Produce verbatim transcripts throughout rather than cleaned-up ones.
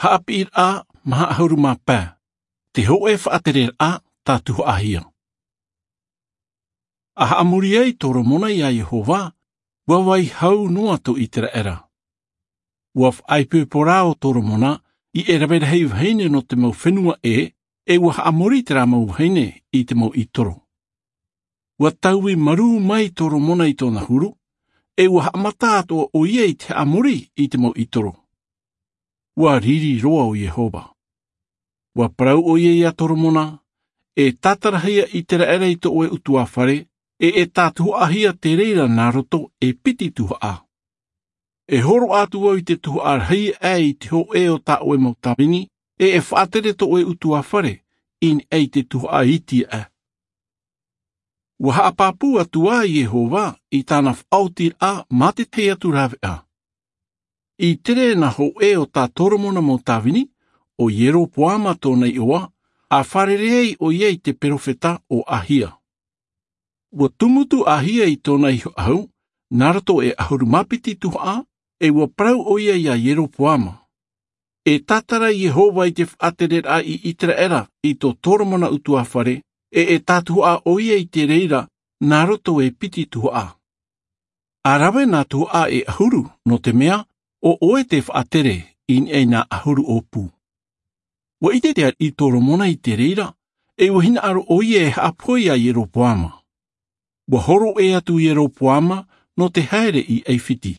Haʻapiʻiraʻa maha ʻahuru mā pae. Te hōʻē faʻatereraʻa tātuhaʻahia. A haʻamori ai toromona iā iehova, ua vai hau noa tō iseraela. Ua faʻaipoipo rā ʻo toromona i te rave rahi vahine nō te mau fenua ʻē, e ua haʻamori terā mau vahine i te mau ʻitoro. Ua taui marū mai toromona i tōna huru, e ua haʻamata atoʻa ʻoia i te haʻamori i te mau ʻitoro. Ua riri roa ʻo iehova. Ua parau ʻoia iā toromona, e tātarahia iseraela i tō ʻoe ʻutuāfare, e e tātuhaʻahia te reira nā roto e piti tuhaʻa. E hōroʻa atu au i te tuhaʻa rahi aʻe i te hōʻē o tā ʻoe mau tāvini, e e faʻatere tō ʻoe ʻutuāfare i niʻa i te tuhaʻa iti aʻe. Ua haʻapāpū atu ā iehova i tāna faʻaotiraʻa mā te tahi atu raveʻa. I te reira nā hōʻē o tā toromona mau tāvini, ʻo ieropoama tōna iʻoa, a fārerei ai ʻoia i te peropheta ʻo ahia. Ua tumutu ahia i tōna iho ʻahu nā roto e ʻahuru mā piti tuhaʻa, e ua parau ʻoia iā ieropoama, e tātara iehova i te faʻatereraʻa i iseraela i tō toromona ʻutuāfare, e e tātuhaʻa ʻoia i te reira nā roto e piti tuhaʻa. A rave nā tuhaʻa e ʻahuru nō te mea ʻo ʻoe te faʻatere i niʻa i nā ʻahuru ʻōpū. Ua ʻite te ariʻi toromona i te reira, e ua hinaʻaro ʻoia e haʻapohe iā ieropoama. Ua horo ʻē atu ieropoama nō te haere i aifiti.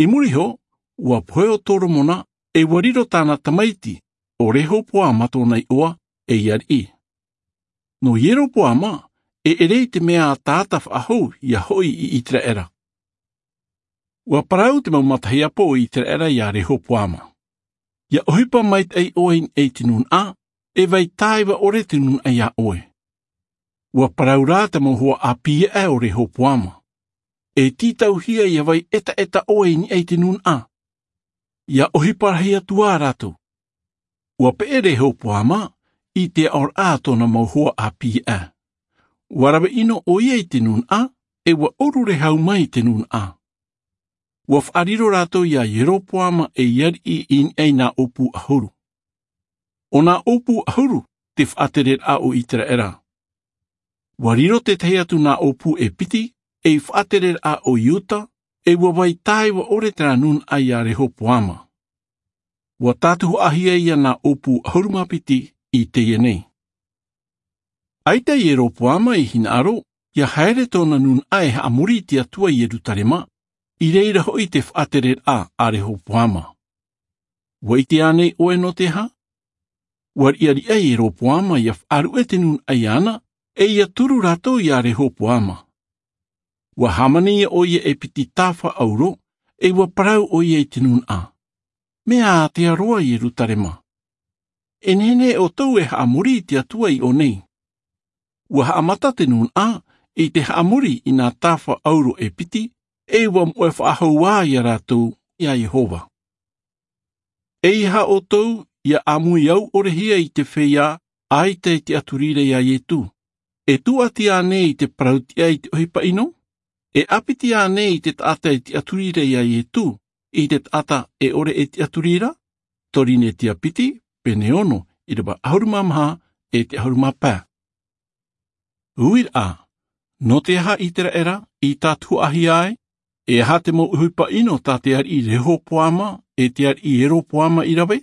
I muri iho, ua pohe ʻo toromona, e ua riro tāna tamaiti ʻo rehopoama tōna iʻoa ei ariʻi. Nō ieropoama, e ʻere i te mea a taata faʻahou ia hoʻi i iseraela. Ua parau te mau matahiapo o iseraela iā rehopoama, ia ʻohipa maitaʻi ʻoe i niʻa i te nūnaʻa, e vai tāiva ʻore te nūnaʻa iā ʻoe. Ua parau rā te mau hoa ʻāpī aʻe o rehopoama, e tītauhia ia vai ʻetaʻeta ʻoe i niʻa i te nūnaʻa, ia ʻohipa rahi atu ā rātou. Ua peʻe rehopoama i te aʻoraʻa a tōna mau hoa ʻāpī aʻe. Ua rave ʻino ʻoia i te nūnaʻa, e ua ʻurure hau mai i te nūnaʻa. Ua faʻariro rātou iā ieropoama ei ariʻi i niʻa i nā ʻōpū ʻahuru. ʻO nā ʻōpū ʻahuru te faʻatereraʻa o iseraela. Ua riro te tahi atu nā ʻōpū e piti ei faʻatereraʻa o iuda, e ua vai tāiva ʻore terā nūnaʻa iā rehopoama. Ua tātuhaʻahia ia nā ʻōpū ʻahuru mā piti i teie nei. ʻAita ieropoama i hinaʻaro ia haere tōna nūnaʻa e haʻamori i te atua i ierusalema, i reira hoʻi te faʻatereraʻa a rehopoama. Ua ʻite ānei ʻoe nō te aha? Ua riʻariʻa ieropoama ia faʻaruʻe te nūnaʻa iāna, e ia turu rātou iā rehopoama. Ua hāmani ia ʻoia e piti tāfa ʻauro, e ua parau ʻoia i te nūnaʻa, mea ātea roa ierusalema. E nehenehe ʻoutou e haʻamori i te atua i ʻō nei. Ua haʻamata te nūnaʻa i te haʻamori i nā tāfa ʻauro e piti, e ua moʻe faʻahou ā ia rātou iā iehova. Eiaha ʻoutou ia ʻāmui au ʻorehia i te feiā ʻaita i te ʻaturi ra iā iesu? E tūʻati ānei i te parau tiʻa i te ʻohipa ʻino? E ʻāpiti ānei i te taʻata i te ʻaturi ra iā iesu i te taʻata e ʻore e te ʻaturi ra? Korinetia piti, pene ono, ʻirava ʻahuru mā maha e te ʻahuru mā pae. Uiraʻa, nō te aha iseraela i tātuhaʻahia ai? E aha te mau ʻohipa ʻino tā te ariʻi rehopoama e te ariʻi ieropoama i rave?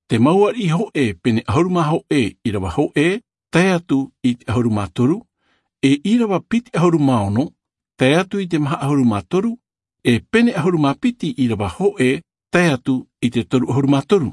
Te mau ariʻi hōʻē pene ʻahuru mā hōʻē ʻirava hōʻē tae atu i te ʻahuru mā toru, e ʻirava piti ʻahuru mā ono tae atu i te maha ʻahuru mā toru, e pene ʻahuru mā piti ʻirava hōʻē tae atu i te toru ʻahuru mā toru.